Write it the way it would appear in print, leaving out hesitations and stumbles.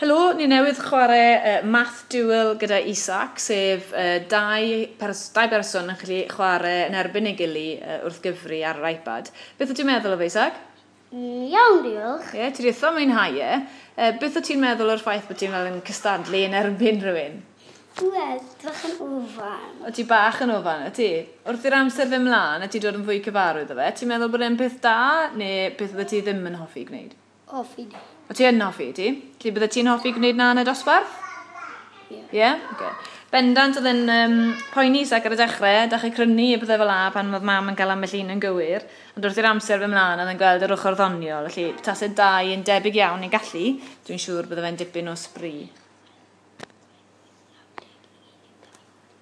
Helo, ni newydd chwarae Math Duel gyda Isaac, sef dau, pers dau berson yn gallu chwarae yn erbyn ei gili wrth gyfri ar yr iPad. Beth wyt ti'n meddwl o fe, Isaac? Iawn, diolch. Ie, yeah, ti wedi eitha mwynhau e. Beth wyt ti'n meddwl o'r ffaith bod ti'n fel yn cystadlu yn erbyn rhywun? Wel, bach yn ofan. O ti bach yn ofan, y ti? Wrth i'r amser fynd mlaen, a ti dod yn fwy cyfarwydd o fe, ti'n meddwl bod e'n peth da, neu beth oeddet ti ddim yn hoffi gwneud? Hoffi. O ti yn hoffi, ti? Felly bydde ti'n hoffi gwneud na yn y dosbarth? Ie. Ie? Yeah? Okay. Bendant oedd yn poeni Isaac ar y dechrau, dechrau crynu a pethau fel 'a pan oedd mam yn cael ambell un yn gywir. Ond wrth i'r amser fy mlaen oedd yn gweld yr ochr ddoniol, felly tase dau yn debyg iawn i gallu, dwi'n siŵr bydde fe'n dipyn o sbri.